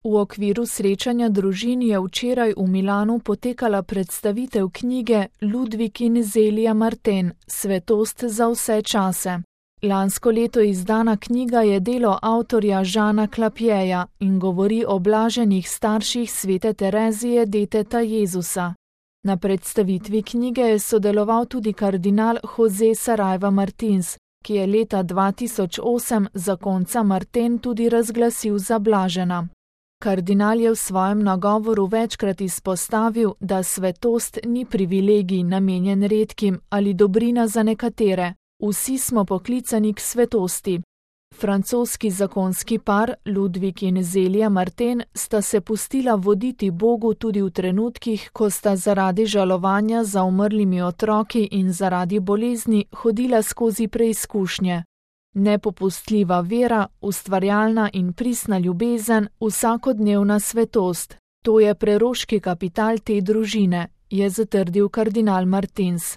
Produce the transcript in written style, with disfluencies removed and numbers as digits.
V okviru srečanja družin je včeraj v Milanu potekala predstavitev knjige Ludwig in Zelia Martin, Svetost za vse čase. Lansko leto izdana knjiga je delo avtorja Žana Klapjeja in govori o blaženih starših svete Terezije deteta Jezusa. Na predstavitvi knjige je sodeloval tudi kardinal José Saraiva Martins, ki je leta 2008 zakonca Martin tudi razglasil za blažena. Kardinal je v svojem nagovoru večkrat izpostavil, da svetost ni privilegij namenjen redkim ali dobrina za nekatere. Vsi smo poklicani k svetosti. Francoski zakonski par Ludwig in Zelia Martin sta se pustila voditi Bogu tudi v trenutkih, ko sta zaradi žalovanja za umrlimi otroki in zaradi bolezni hodila skozi preizkušnje. Nepopustljiva vera, ustvarjalna in pristna ljubezen, vsakodnevna svetost. To je preroški kapital te družine, je zatrdil kardinal Martins.